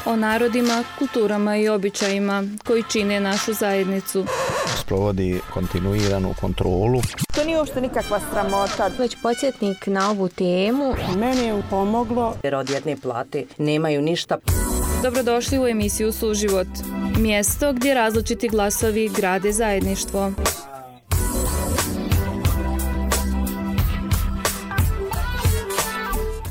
o narodima, kulturama i običajima koji čine našu zajednicu. Sprovodi kontinuiranu kontrolu. To nije uopšte nikakva sramota. Već podsjetnik na ovu temu. Meni je pomoglo. Jer od jedne plate nemaju ništa. Dobrodošli u emisiju Suživot. Mjesto gdje različiti glasovi grade zajedništvo.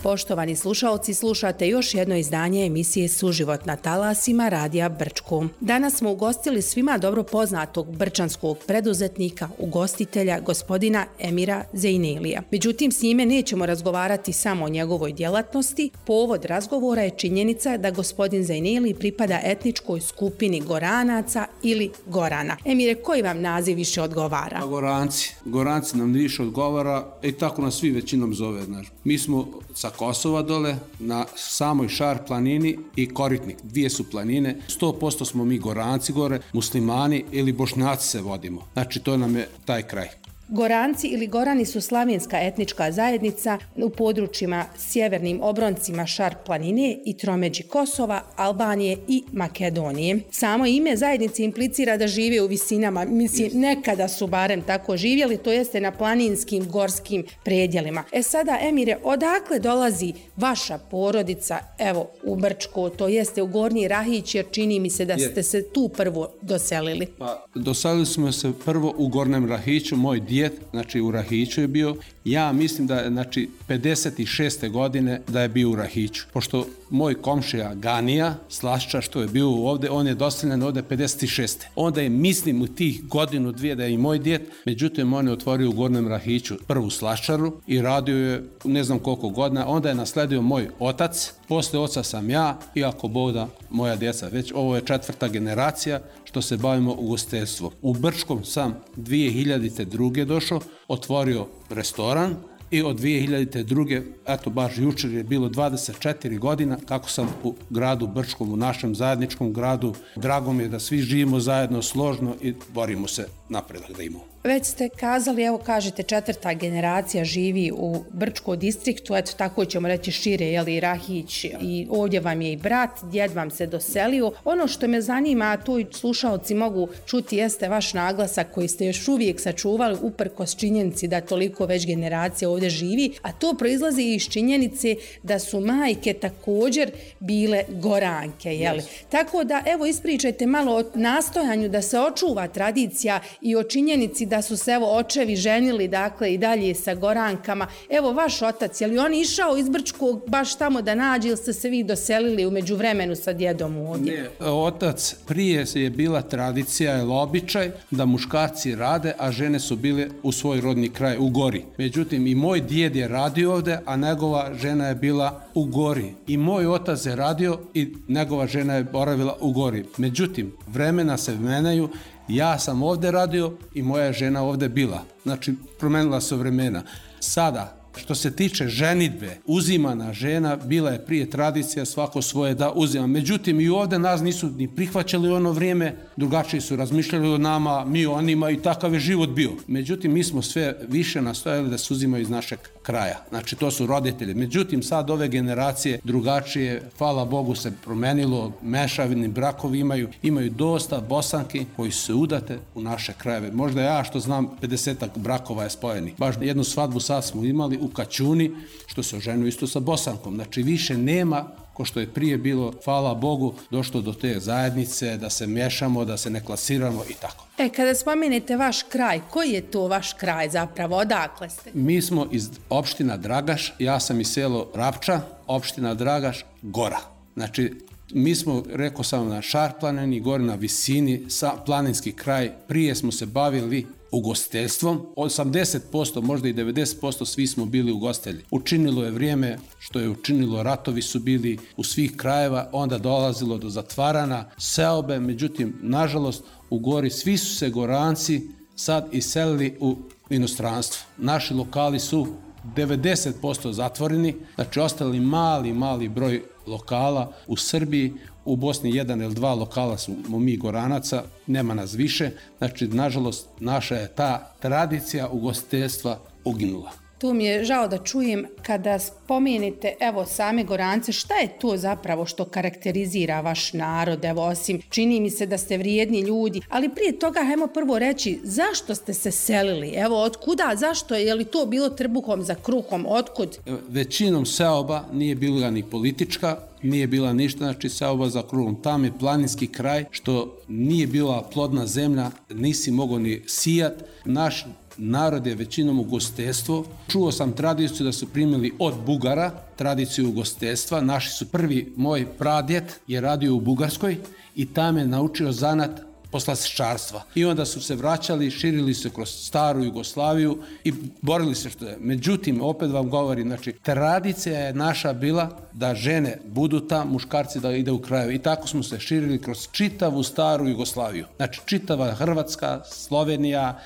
Poštovani slušaoci, slušate još jedno izdanje emisije Suživot na talasima Radija Brčko. Danas smo ugostili svima dobro poznatog brčanskog preduzetnika, ugostitelja, gospodina Emira Zejnelija. Međutim, s njime nećemo razgovarati samo o njegovoj djelatnosti. Povod razgovora je činjenica da gospodin Zejneli pripada etničkoj skupini Goranaca ili Gorana. Emire, koji vam naziv više odgovara? Goranci. Goranci nam više odgovara i tako nas svi većinom zove. Mi smo sa Kosova dole, na samoj Šar planini i Koritnik. Dvije su planine. 100% smo mi Goranci gore, muslimani ili Bošnjaci se vodimo. Znači, to nam je taj kraj. Goranci ili Gorani su slavenska etnička zajednica u područjima sjevernim obroncima Šar planine i tromeđi Kosova, Albanije i Makedonije. Samo ime zajednice implicira da žive u visinama, nekada su barem tako živjeli, to jeste na planinskim, gorskim predjelima. Sada, Emire, odakle dolazi vaša porodica, evo, u Brčko, to jeste u Gornji Rahić, jer čini mi se da ste se tu prvo doselili? Doselili smo se prvo u Gornjem Rahiću, moj djed, znači u Rahiću je bio. Ja mislim da je, 56. godine da je bio u Rahiću. Pošto moj komšija Ganija, slašča što je bio ovdje, on je doseljen ovdje 56. Onda je, mislim, u tih godinu, dvije da je i moj djed, međutim on je otvorio u Gornjem Rahiću prvu slaščaru i radio je ne znam koliko godina. Onda je nasledio moj otac, posle oca sam ja i ako Bog da moja djeca. Već ovo je 4. generacija što se bavimo ugostiteljstvom. U Brčkom sam 2002. došao, otvorio restoran i od 2002. eto baš jučer je bilo 24 godina kako sam u gradu Brčkom, u našem zajedničkom gradu. Drago mi je da svi živimo zajedno, složno i borimo se napredak da imamo. Već ste kazali, evo kažete 4. generacija živi u Brčko distriktu, eto tako ćemo reći šire, jeli Rahić, i ovdje vam je i brat, djed vam se doselio. Ono što me zanima, a tu i slušaoci mogu čuti, jeste vaš naglasak koji ste još uvijek sačuvali uprkos činjenici da toliko već generacija ovdje živi, a to proizlazi iz činjenice da su majke također bile Goranke, jeli? Yes. Tako da, evo, ispričajte malo o nastojanju da se očuva tradicija i o činjenici da su se, evo, očevi ženili, dakle, i dalje sa Gorankama. Evo, vaš otac, je li on išao iz Brčkog baš tamo da nađe ili ste se vi doselili u međuvremenu sa djedom ovdje? Ne, otac, prije je bila tradicija ili običaj da muškarci rade, a žene su bile u svoj rodni kraj, u Gori. Međutim, i moj djed je radio ovdje, a njegova žena je bila u Gori. I moj otac je radio i njegova žena je boravila u Gori. Međutim, vremena se menjaju. Ja sam ovdje radio i moja žena ovdje bila. Znači, promenila se vremena. Sada, što se tiče ženidbe, uzimana žena, bila je prije tradicija svako svoje da uzima. Međutim, i ovdje nas nisu ni prihvaćali u ono vrijeme, drugačije su razmišljali o nama, mi o onima i takav je život bio. Međutim, mi smo sve više nastojali da se uzimaju iz našeg kraja. Znači, to su roditelji. Međutim, sad ove generacije drugačije, hvala Bogu, se promenilo, mešavini brakovi imaju dosta Bosanki koji su se udate u naše krajeve. Možda ja što znam 50 brakova je spojeni. Baš jednu svadbu sad smo imali u Kaćuni, što se oženio isto sa Bosankom. Znači, više nema, ko što je prije bilo, hvala Bogu, došlo do te zajednice, da se miješamo, da se ne klasiramo i tako. Kada spomenete vaš kraj, koji je to vaš kraj zapravo? Odakle ste? Mi smo iz opština Dragaš, ja sam iz selo Rapča, opština Dragaš, Gora. Znači, mi smo, rekao sam, na Šar planini, gore na visini, planinski kraj. Prije smo se bavili ugostiteljstvom. 80%, možda i 90% svi smo bili ugostitelji. Učinilo je vrijeme što je učinilo, ratovi su bili u svih krajeva, onda dolazilo do zatvarana seobe, međutim, nažalost, u Gori svi su se Goranci sad iselili u inostranstvo. Naši lokali su 90% zatvoreni, znači ostali mali broj lokala u Srbiji, u Bosni 1 ili 2 lokala smo mi Goranaca, nema nas više, znači nažalost naša je ta tradicija ugostiteljstva uginula. To mi je žao da čujem kada spomenete, evo, same Gorance, šta je to zapravo što karakterizira vaš narod, evo, osim čini mi se da ste vrijedni ljudi, ali prije toga hajmo prvo reći zašto ste se selili, evo, otkuda, zašto, je li to bilo trbuhom za kruhom, otkud? Većinom seoba nije bila ni politička, nije bila ništa, znači seoba za kruhom. Tam je planinski kraj, što nije bila plodna zemlja, nisi mogao ni sijat. Naš narod je većinom ugostiteljstvo. Čuo sam tradiciju da su primili od Bugara, tradiciju ugostiteljstva. Naši su prvi, moj pradjed je radio u Bugarskoj i tam je naučio zanat poslastičarstva. I onda su se vraćali, širili se kroz staru Jugoslaviju i borili se što je. Međutim, opet vam govorim, znači, tradicija je naša bila da žene budu tam, muškarci da ide u krajeve. I tako smo se širili kroz čitavu staru Jugoslaviju. Znači, čitava Hrvatska, Slovenija,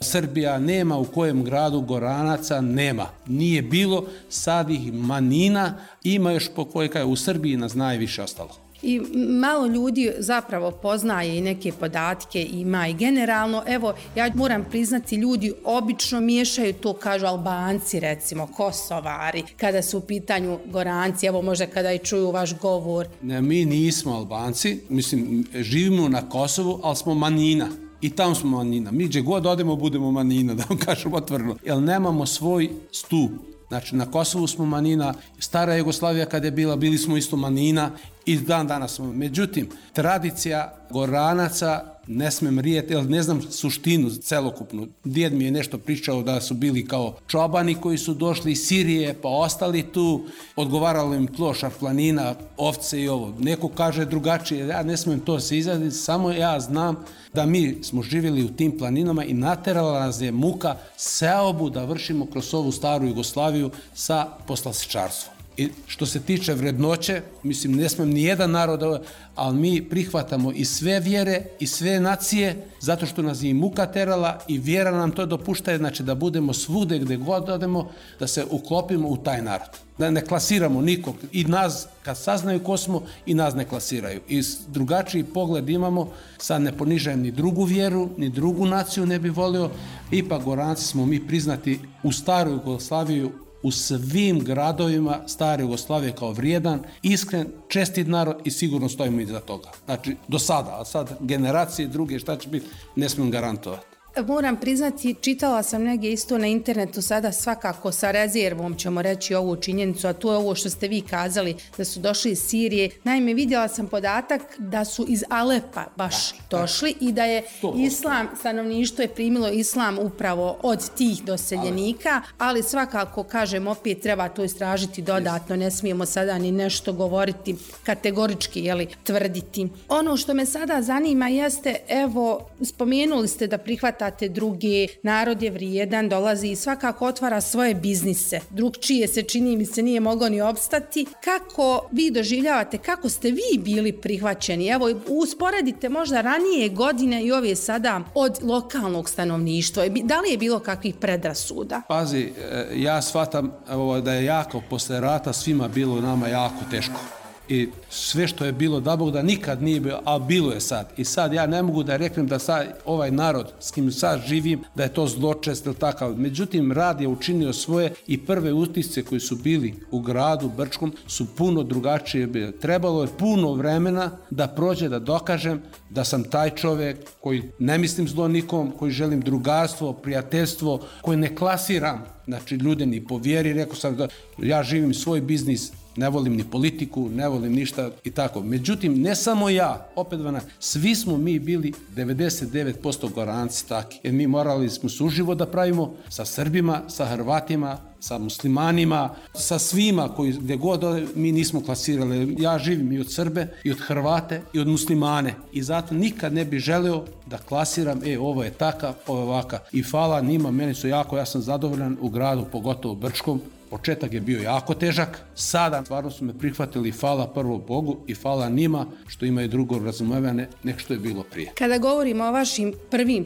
Srbija, nema u kojem gradu Goranaca, nema. Nije bilo, sad ih manjina, ima još po koje u Srbiji nas najviše ostalo. I malo ljudi zapravo poznaje i neke podatke ima i generalno, evo, ja moram priznati, ljudi obično miješaju to, kažu Albanci, recimo, Kosovari, kada su u pitanju Goranci, evo možda kada i čuju vaš govor. Ne, mi nismo Albanci, mislim, živimo na Kosovu, ali smo manjina. I tamo smo manjina. Mi gdje god odemo budemo manjina, da vam kažem otvoreno. Jer nemamo svoj stup. Znači, na Kosovu smo manjina, stara Jugoslavija kada je bila, bili smo isto manjina i dan danas smo. Međutim, tradicija Goranaca ne smem rijeti, jer ne znam suštinu celokupnu. Djed mi je nešto pričao da su bili kao čobani koji su došli iz Sirije pa ostali tu, odgovaralo im tlo, šarplanina, ovce i ovo. Neko kaže drugačije, ja ne smem to se izraditi, samo ja znam da mi smo živjeli u tim planinama i naterala nas je muka seobu da vršimo kroz ovu staru Jugoslaviju sa poslastičarstvom. I što se tiče vrednoće, mislim, ne smem ni jedan narod, ali mi prihvatamo i sve vjere i sve nacije, zato što nas je i muka terala i vjera nam to dopušta, znači da budemo svude gdje god odemo, da se uklopimo u taj narod. Da ne klasiramo nikog. I nas, kad saznaju ko smo, i nas ne klasiraju. I drugačiji pogled imamo, sad ne ponižajem ni drugu vjeru, ni drugu naciju ne bi volio, ipak Goranci smo mi priznati u staru Jugoslaviju, u svim gradovima stare Jugoslavije kao vrijedan, iskren, čestit narod i sigurno stojimo iza toga. Znači, do sada, a sad generacije druge, šta će biti, ne smijem garantovati. Moram priznati, čitala sam negdje isto na internetu sada, svakako sa rezervom ćemo reći ovu činjenicu, a to je ovo što ste vi kazali, da su došli iz Sirije. Naime, vidjela sam podatak da su iz Alepa baš došli i da je islam, stanovništvo je primilo islam upravo od tih doseljenika, ali svakako, kažem, opet treba to istražiti dodatno, ne smijemo sada ni nešto govoriti kategorički, jeli, tvrditi. Ono što me sada zanima jeste, evo, spomenuli ste da prihvatate druge, narod je vrijedan, dolazi i svakako otvara svoje biznise. Drugčije se, čini mi se, nije moglo ni opstati. Kako vi doživljavate, kako ste vi bili prihvaćeni? Evo, usporedite možda ranije godine i ove sada od lokalnog stanovništva. Da li je bilo kakvih predrasuda? Pazi, ja shvatam da je jako posle rata svima bilo nama jako teško. I sve što je bilo, da Bog da nikad nije bilo, a bilo je sad. I sad ja ne mogu da reknem da sad ovaj narod s kim sad živim, da je to zločest ili takav. Međutim, rad je učinio svoje i prve utisce koji su bili u gradu Brčkom su puno drugačije bile. Trebalo je puno vremena da prođe, da dokažem da sam taj čovjek koji ne mislim zlo nikom, koji želim drugarstvo, prijateljstvo, koji ne klasiram, znači ljude ni po vjeri, rekao sam da ja živim svoj biznis, ne volim ni politiku, ne volim ništa i tako. Međutim, ne samo ja, opet svi smo mi bili 99% Goranci taki. Jer mi morali smo suživo da pravimo sa Srbima, sa Hrvatima, sa muslimanima, sa svima koji gdje god mi nismo klasirali. Ja živim i od Srbe, i od Hrvate, i od muslimane. I zato nikad ne bi želeo da klasiram, ovo je takav, ovo je ovakav. I hvala njima, meni su jako, ja sam zadovoljan u gradu, pogotovo Brčkom. Početak je bio jako težak, sada stvarno su me prihvatili, hvala prvo Bogu i hvala njima što imaju drugo razumevanje nek što je bilo prije. Kada govorimo o vašim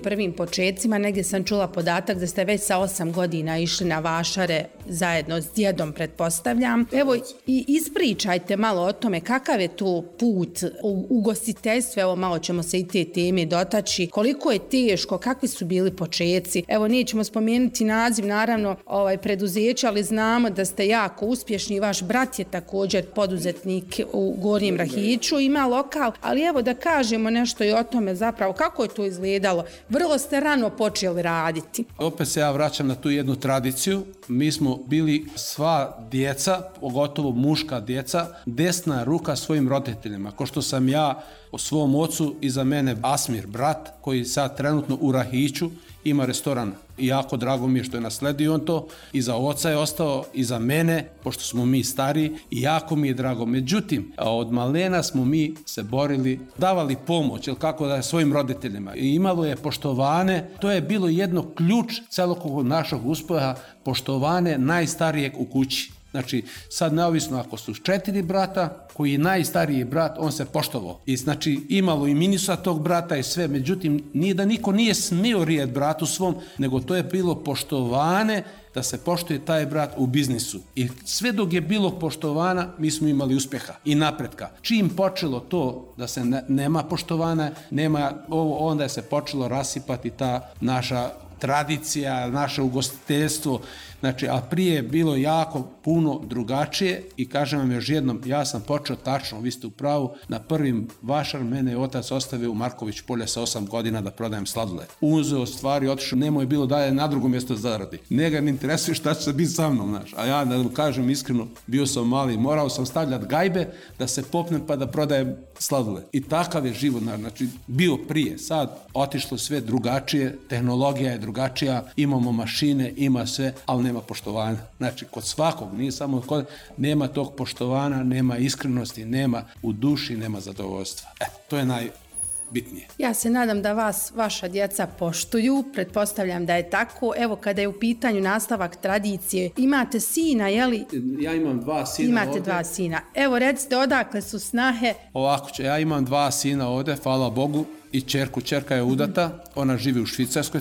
prvim početcima, negdje sam čula podatak da ste već sa 8 godina išli na vašare zajedno s djedom, pretpostavljam. Evo i ispričajte malo o tome kakav je to put u ugostiteljstvu, evo malo ćemo se i te teme dotaći, koliko je teško, kakvi su bili počeci. Evo nećemo spomenuti naziv naravno preduzeća, ali znamo da ste jako uspješni, vaš brat je također poduzetnik u Gornjem Rahiću, ima lokal, ali evo da kažemo nešto i o tome zapravo kako je to izgledalo. Vrlo ste rano počeli raditi. Opet se ja vraćam na tu jednu tradiciju. Mi smo bili sva djeca, pogotovo muška djeca, desna ruka svojim roditeljima. Ko što sam ja o svom ocu, iza mene Asmir, brat, koji sad trenutno u Rahiću ima restoran. I jako drago mi je što je nasledio on to. Iza oca je ostao, iza mene, pošto smo mi stariji, i jako mi je drago. Međutim, od malena smo mi se borili, davali pomoć, ili kako da je svojim roditeljima. I imalo je poštovane, to je bilo jedno ključ celokog našeg uspeha, poštovane najstarijeg u kući. Znači, sad neovisno ako su 4 brata, koji je najstariji brat, on se poštovao. I znači, imalo i minusa tog brata i sve, međutim, nije da niko nije smio rijet bratu svom, nego to je bilo poštovane da se poštuje taj brat u biznisu. I sve dok je bilo poštovana, mi smo imali uspjeha i napretka. Čim počelo to da se nema poštovana, nema ovo, onda je se počelo rasipati ta naša tradicija, naše ugostiteljstvo. Znači, a prije je bilo jako puno drugačije i kažem vam još jednom, ja sam počeo tačno, vi ste u pravu, na prvim vašar mene je otac ostavio u Marković polje sa 8 godina da prodajem sladoled. Uzeo stvari, otišao, nemoj bilo dalje na drugo mjesto zaradi. Njega ne interesuje šta će se biti sa mnom, znaš. A ja, da vam kažem iskreno, bio sam mali, morao sam stavljati gajbe da se popnem pa da prodajem sladoled. I takav je život, znači, bio prije. Sad otišlo sve drugačije, tehnologija je drugačija, imamo mašine, ima sve, ali nema poštovanja. Znači, kod svakog, nije samo kod, nema tog poštovanja, nema iskrenosti, nema u duši, nema zadovoljstva. To je najbitnije. Ja se nadam da vas vaša djeca poštuju, pretpostavljam da je tako. Evo, kada je u pitanju nastavak tradicije, imate sina, je li? Ja imam 2 sina Imate ovdje. 2 sina. Evo, recite, odakle su snahe? Ovako će, ja imam 2 sina ovdje, hvala Bogu, i ćerku. Ćerka je udata, ona živi u Švicarskoj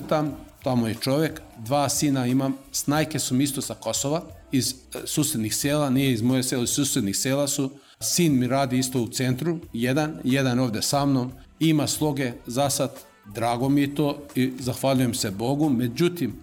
tamo je čovjek. 2 sina imam, snajke su mi isto sa Kosova, iz susjednih sela, nije iz moje sela, iz susjednih sela su. Sin mi radi isto u centru, jedan ovdje sa mnom, ima sloge za sad, drago mi je to i zahvaljujem se Bogu, međutim,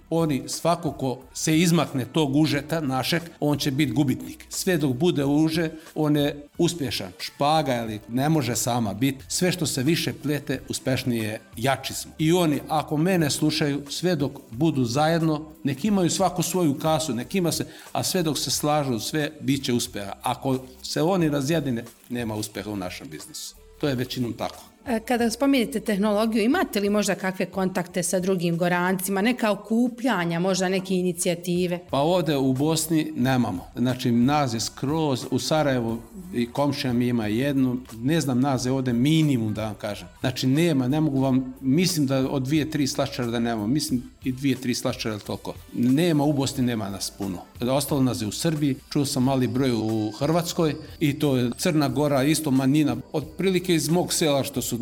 svako ko se izmakne tog užeta našeg, on će biti gubitnik. Sve dok bude uže, on je uspješan. Špaga, ali ne može sama biti. Sve što se više plete, uspešnije, jači smo. I oni, ako mene slušaju, sve dok budu zajedno, nek imaju svako svoju kasu, nek ima se, a sve dok se slažu, sve bit će uspjeha. Ako se oni razjedine, nema uspjeha u našem biznisu. To je većinom tako. Kada spomenete tehnologiju, imate li možda kakve kontakte sa drugim Gorancima, neka okupljanja, možda neke inicijative? Pa ovdje u Bosni nemamo. Znači, nas je skroz, u Sarajevu i komšija mi ima jednu, ne znam nas je ovdje minimum da vam kažem. Znači, nema, ne mogu vam, mislim da od 2-3 slaščara da nemamo, mislim i 2-3 slaščara ili toliko. Nema, u Bosni nema nas puno. Ostalo nas je u Srbiji, čuo sam mali broj u Hrvatskoj i to je Crna Gora, isto manjina, otprilike iz mog sela što su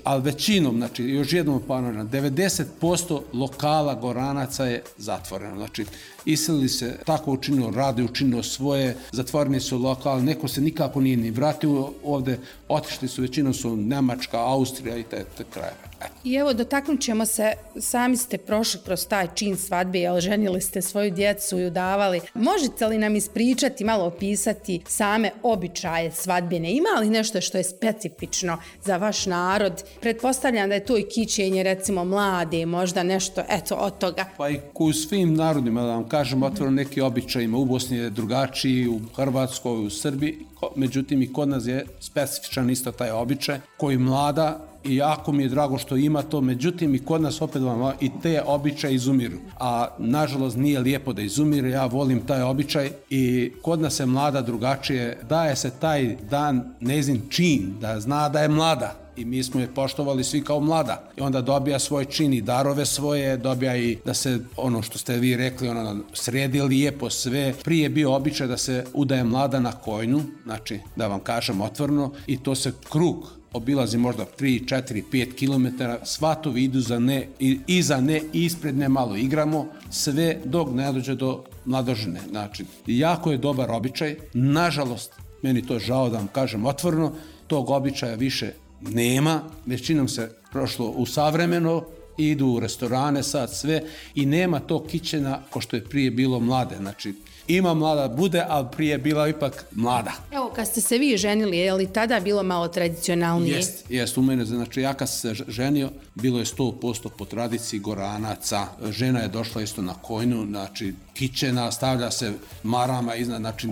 ali većinom, znači još jednom ponavljam, 90% lokala Goranaca je zatvoreno. Znači, iselili se, tako učinilo, rade učinilo svoje, zatvoreni su lokal, neko se nikako nije ni vratio ovdje, otišli su, većinom su Njemačka, Austrija i te krajeve. I evo, dotaknut ćemo se, sami ste prošli kroz taj čin svadbe, jel ženili ste svoju djecu i udavali. Možete li nam ispričati, malo opisati same običaje svadbene? Ima li nešto što je specifično za vaš narod? Pretpostavljam da je to i kićenje, recimo, mlade, možda nešto, eto, od toga. Pa i u svim narodima, da vam kažem, otvoreno neki običajima. U Bosni je drugačiji, u Hrvatskoj, u Srbiji, međutim i kod nas je specifičan isto taj običaj koji mlada, i jako mi je drago što ima to, međutim i kod nas opet vam i te običaje izumiru. A nažalost nije lijepo da izumire, ja volim taj običaj i kod nas je mlada drugačije, daje se taj dan njezin čin, da zna da je mlada. I mi smo je poštovali svi kao mlada. I onda dobija svoj čin i darove svoje, dobija i da se, ono što ste vi rekli, sredi lijepo sve. Prije je bio običaj da se udaje mlada na kojnu, znači da vam kažem otvoreno, i to se krug obilazi možda 3, 4, 5 km, svatovi idu za ne, i iza ne, i ispred ne, malo igramo, sve dok ne dođe do mladožene. Znači, jako je dobar običaj. Nažalost, meni to žao da vam kažem otvoreno, tog običaja više nema. Većinom se prošlo u savremeno, idu u restorane sad sve i nema tog kićena ko što je prije bilo mlade. Znači, ima mlada bude, ali prije je bila ipak mlada. Evo, kad ste se vi ženili, je li tada bilo malo tradicionalnije? Jest, u mene, znači ja kad sam se ženio, bilo je 100% po tradiciji Goranaca. Žena je došla isto na kojnu, znači kićena, stavlja se marama iznad, znači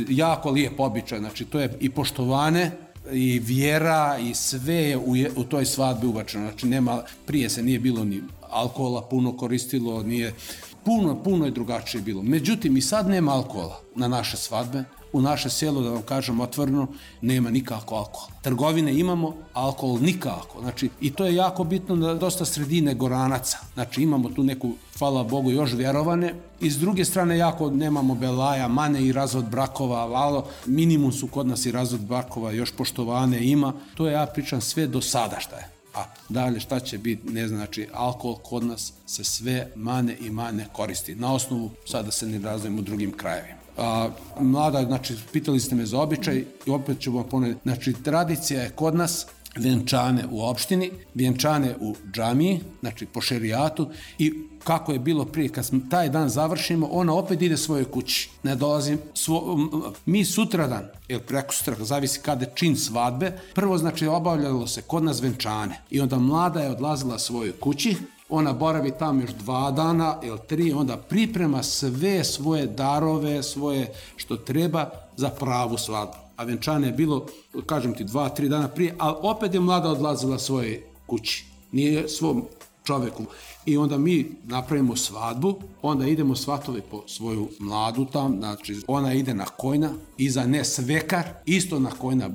jako lijep običaj, znači to je i poštovane, i vjera i sve je u toj svadbi ubačeno. Znači prije se nije bilo ni alkohola puno koristilo, nije puno je drugačije bilo. Međutim, i sad nema alkohola na naše svadbe. U naše selo, da vam kažem otvoreno, nema nikako alkohola. Trgovine imamo, alkohol nikako. Znači, i to je jako bitno da dosta sredine Goranaca. Znači, imamo tu neku, hvala Bogu, još vjerovane. I s druge strane, jako nemamo belaja, mane i razvod brakova, valo, minimum su kod nas i razvod brakova, još poštovane ima. To ja pričam sve do sada šta je. A dalje šta će biti, ne znam, znači alkohol kod nas se sve mane koristi. Na osnovu, sada se ne razvijemo u drugim krajevima. Mlada, znači, pitali ste me za običaj i opet ću vam ponoviti. Znači, tradicija je kod nas vjenčane u opštini, vjenčane u džamiji, znači po šerijatu i kako je bilo prije, kad taj dan završimo, ona opet ide svojoj kući. Ne dolazi, mi sutradan, ili preko sutra, zavisi kada je čin svadbe, prvo znači obavljalo se kod nas vjenčane i onda mlada je odlazila svojoj kući, ona boravi tamo još 2 dana ili 3, onda priprema sve svoje darove, svoje što treba za pravu svadbu. A vjenčane je bilo, kažem ti, 2-3 dana prije, ali opet je mlada odlazila svojoj kući, nije svom čoveku. I onda mi napravimo svadbu, onda idemo svatove po svoju mladu tam, znači ona ide na kojna, iza ne svekar, isto na kojna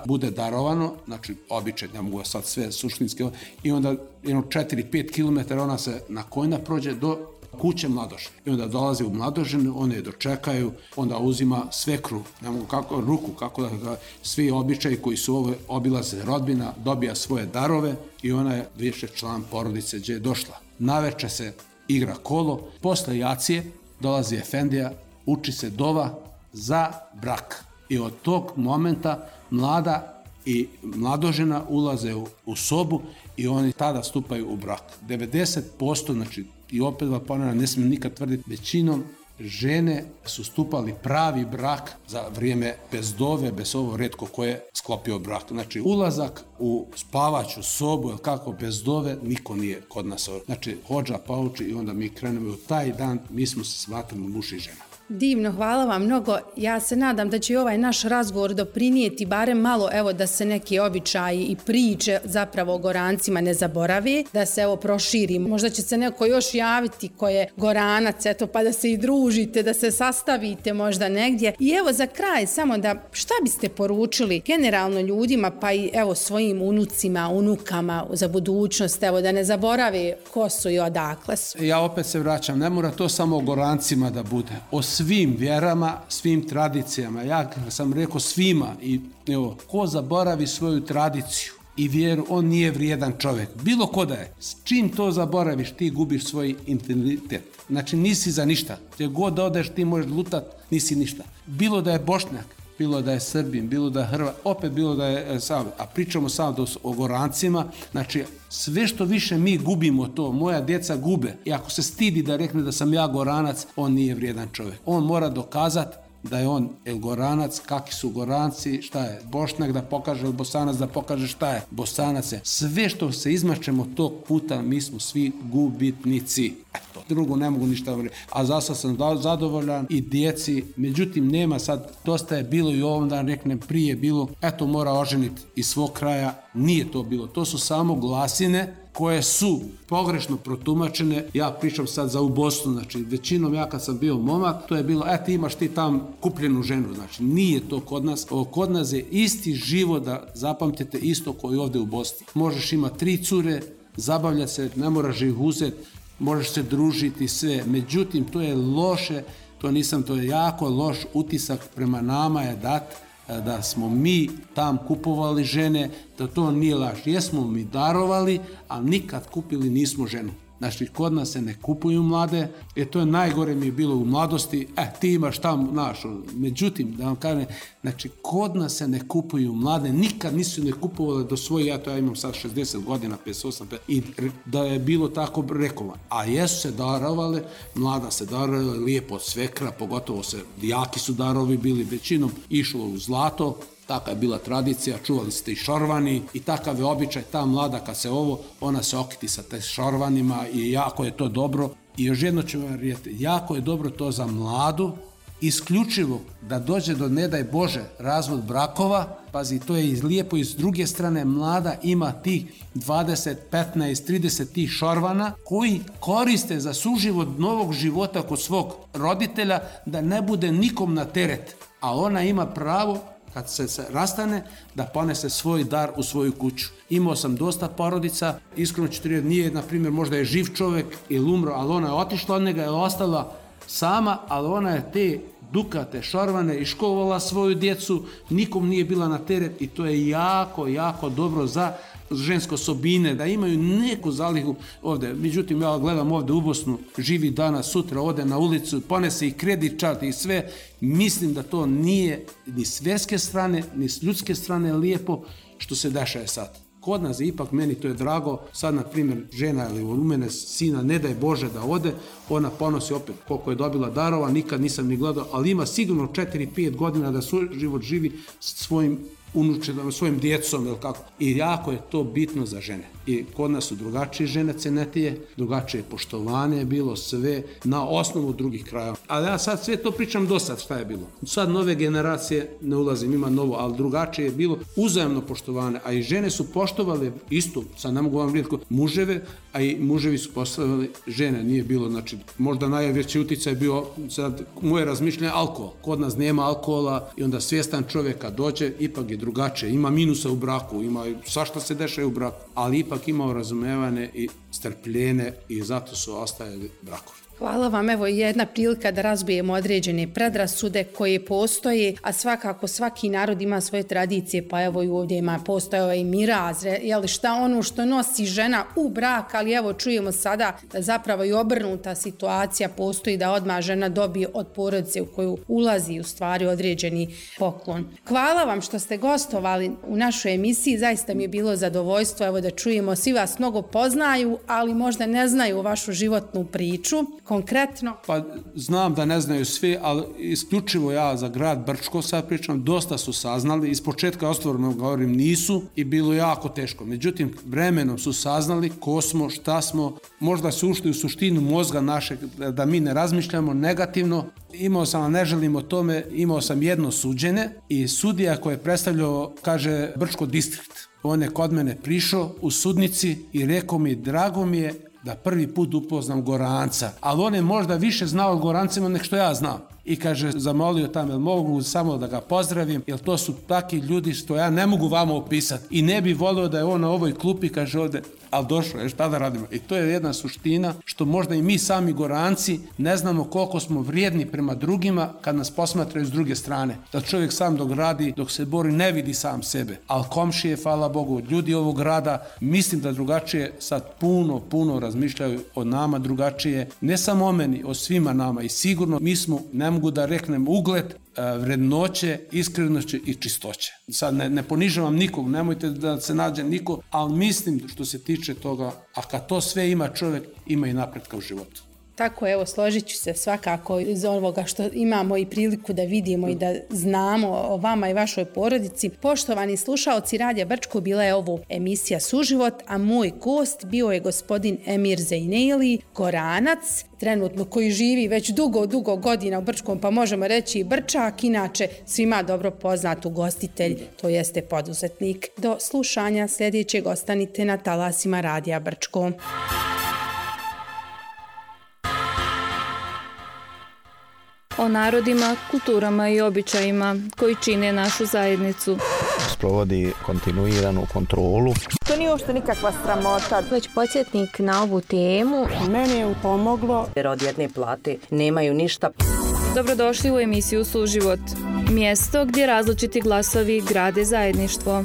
bude darovano, znači običaj, ne mogu sad sve suštinske, i onda 4-5 km ona se na kojna prođe do kuće mladožene. I onda dolazi u mladoženu, one je dočekaju, onda uzima svekru, ne mogu ruku, kako da svi običaji koji su obilaze rodbina, dobija svoje darove i ona je više član porodice gdje je došla. Naveče se igra kolo, posle jacije dolazi efendija, uči se dova za brak. I od tog momenta mlada i mladožena ulaze u sobu i oni tada stupaju u brak. 90%, znači, i opet vam ponavljam, ne smijem nikad tvrditi, većinom žene su stupali pravi brak za vrijeme bez dove, bez ovo retko ko je sklopio brak. Znači, ulazak u spavaću sobu, ili kako, bez dove, niko nije kod nas. Znači, hodža pauči i onda mi krenemo u taj dan, mi smo se smatrali muž i žena. Divno, hvala vam mnogo. Ja se nadam da će i ovaj naš razgovor doprinijeti barem malo, evo, da se neki običaji i priče zapravo o Gorancima ne zaborave, da se evo proširi. Možda će se neko još javiti ko je Goranac, eto, pa da se i družite, da se sastavite možda negdje. I evo za kraj samo da, šta biste poručili generalno ljudima, pa i evo svojim unucima, unukama za budućnost, evo, da ne zaborave ko su i odakle su. Ja opet se vraćam, ne mora to samo o Gorancima da bude. O svim vjerama, svim tradicijama. Ja sam rekao svima i evo, ko zaboravi svoju tradiciju i vjeru, on nije vrijedan čovjek. Bilo ko da je. S čim to zaboraviš, ti gubiš svoj identitet. Znači nisi za ništa. Gdje god odeš, ti možeš lutat, nisi ništa. Bilo da je Bošnjak, bilo da je Srbin, bilo da je Hrvat, opet bilo da je Sav. A pričamo samo o Gorancima, znači sve što više mi gubimo to, moja djeca gube. I ako se stidi da rekne da sam ja Goranac, on nije vrijedan čovjek. On mora dokazati da je on Goranac, kakvi su Goranci, šta je Bošnjak da pokaže, ili Bosanac da pokaže šta je Bosanac. Sve što se izmačemo tog puta, mi smo svi gubitnici. Eto, drugo ne mogu ništa govoriti. A zasad sam zadovoljan i djeci, međutim nema sad, dosta je bilo i ovom dan reknem prije bilo, eto mora oženiti iz svog kraja, nije to bilo. To su samo glasine koje su pogrešno protumačene. Ja pričam sad za u Bosnu, znači većinom ja kad sam bio momak, to je bilo, ti imaš ti tam kupljenu ženu, znači nije to kod nas. Kod nas je isti život, da zapamtite, isto koji ovdje u Bosni. Možeš imati 3 cure, zabavljati se, ne moraš ih uzeti, možeš se družiti sve, međutim to je loše, to je jako loš utisak prema nama je dat, da smo mi tam kupovali žene, da to nije laž. Jesmo mi darovali, ali nikad kupili nismo ženu. Znači, kod nas se ne kupuju mlade, to je najgore mi je bilo u mladosti, ti imaš tamo našo. Međutim, da vam kažem, znači, kod nas se ne kupuju mlade, nikad nisu ne kupovali do svoje, ja imam sad 60 godina, 58, i da je bilo tako rekovan. A jesu se darovale, mlada se darovale, lijepo od svekra, pogotovo jaki su darovi bili, većinom išlo u zlato. Taka je bila tradicija, čuvali ste i šorvani i takav je običaj, ta mlada kad se ona se okiti sa te šorvanima i jako je to dobro. I još jedno ću vam reći, jako je dobro to za mladu, isključivo da dođe do, ne daj Bože, razvod brakova, pazi, to je lijepo i s druge strane mlada ima tih 20, 15, 30 tih šorvana koji koriste za suživot novog života kod svog roditelja da ne bude nikom na teret, a ona ima pravo kad se rastane, da ponese svoj dar u svoju kuću. Imao sam dosta porodica, iskreno ću reći, nije, na primjer, možda je živ čovjek ili umro, ali ona je otišla od njega, je ostala sama, ali ona je te dukate šorvane i škovala svoju djecu, nikom nije bila na teret i to je jako, jako dobro za ženske osobine, da imaju neku zalihu ovdje. Međutim, ja gledam ovdje u Bosnu, živi danas, sutra ode na ulicu, ponese i kredit čart i sve. Mislim da to nije ni s vjerske strane, ni s ljudske strane lijepo što se dešava sad. Kod nas je ipak, meni to je drago, sad na primjer žena ili u mene sina, ne daj Bože da ode, ona ponosi opet koliko je dobila darova, nikad nisam ni gledao, ali ima sigurno 4-5 godina da život živi svojim unučenom, svojim djecom ili kako. I jako je to bitno za žene. I kod nas su drugačije žene cenetije, drugačije poštovanje je bilo, sve na osnovu drugih krajeva. Ali ja sad sve to pričam do sad šta je bilo. Sad nove generacije, ne ulazim, ima novo, ali drugačije je bilo uzajamno poštovanje, a i žene su poštovale isto, sad ne mogu vam reći muževe, a i muževi su poštovali žene, nije bilo, znači možda najveći utjecaj je bio, sad moje razmišljanje, alkohol. Kod nas nema alkohola i onda svjestan čovjek kad dođe, ipak je drugačije, ima minusa u braku, ima svašta se dešava u braku, ali ipak imao razumevane i strpljenje i zato su ostajali brakovi. Hvala vam, evo jedna prilika da razbijemo određene predrasude koje postoje, a svakako svaki narod ima svoje tradicije, pa evo i ovdje postoje i miraz, šta ono što nosi žena u brak, ali evo čujemo sada da zapravo i obrnuta situacija postoji, da odmah žena dobije od porodice u koju ulazi u stvari određeni poklon. Hvala vam što ste gostovali u našoj emisiji, zaista mi je bilo zadovoljstvo evo da čujemo, svi vas mnogo poznaju, ali možda ne znaju vašu životnu priču. Konkretno? Pa znam da ne znaju svi, ali isključivo ja za grad Brčko sad pričam, dosta su saznali, iz početka otvoreno govorim nisu i bilo jako teško. Međutim, vremenom su saznali ko smo, šta smo, možda su ušli u suštinu mozga našeg, da mi ne razmišljamo negativno. Imao sam, a ne želim o tome, imao sam jedno suđenje i sudija koji je predstavljao, kaže Brčko distrikt. On je kod mene prišao u sudnici i rekao mi, drago mi je da prvi put upoznam Goranca, ali on je možda više znao o Gorancima nek što ja znam. I kaže, zamolio tam, jel mogu samo da ga pozdravim, jer to su taki ljudi što ja ne mogu vama opisati. I ne bi volio da je on na ovoj klupi, kaže ovdje, ali došlo je, šta da radimo? I to je jedna suština što možda i mi sami Goranci ne znamo koliko smo vrijedni prema drugima kad nas posmatraju s druge strane. Da čovjek sam dok radi, dok se bori, ne vidi sam sebe. Ali komšije, hvala Bogu, ljudi ovog grada, mislim da drugačije sad puno razmišljaju o nama drugačije. Ne samo o meni, o svima nama. I sigurno mi smo, ne mogu da reknem, ugled, vrednoće, iskrenoće i čistoće. Sad ne ponižavam nikog, nemojte da se nađe niko, ali mislim što se tiče toga, a kad to sve ima čovjek, ima i napretka u životu. Tako, evo, složit ću se svakako iz ovoga što imamo i priliku da vidimo i da znamo o vama i vašoj porodici. Poštovani slušaoci Radija Brčko, bila je ovo emisija Suživot, a moj gost bio je gospodin Emir Zejneli, Goranac, trenutno koji živi već dugo godina u Brčkom, pa možemo reći i Brčak, inače svima dobro poznat ugostitelj, to jeste poduzetnik. Do slušanja sljedećeg, ostanite na talasima Radija Brčko. O narodima, kulturama i običajima koji čine našu zajednicu. Sprovodi kontinuiranu kontrolu. To nije uopšte nikakva sramota. Već podsjetnik na ovu temu. Meni je pomoglo. Jer od jedne plate nemaju ništa. Dobrodošli u emisiju Suživot. Mjesto gdje različiti glasovi grade zajedništvo.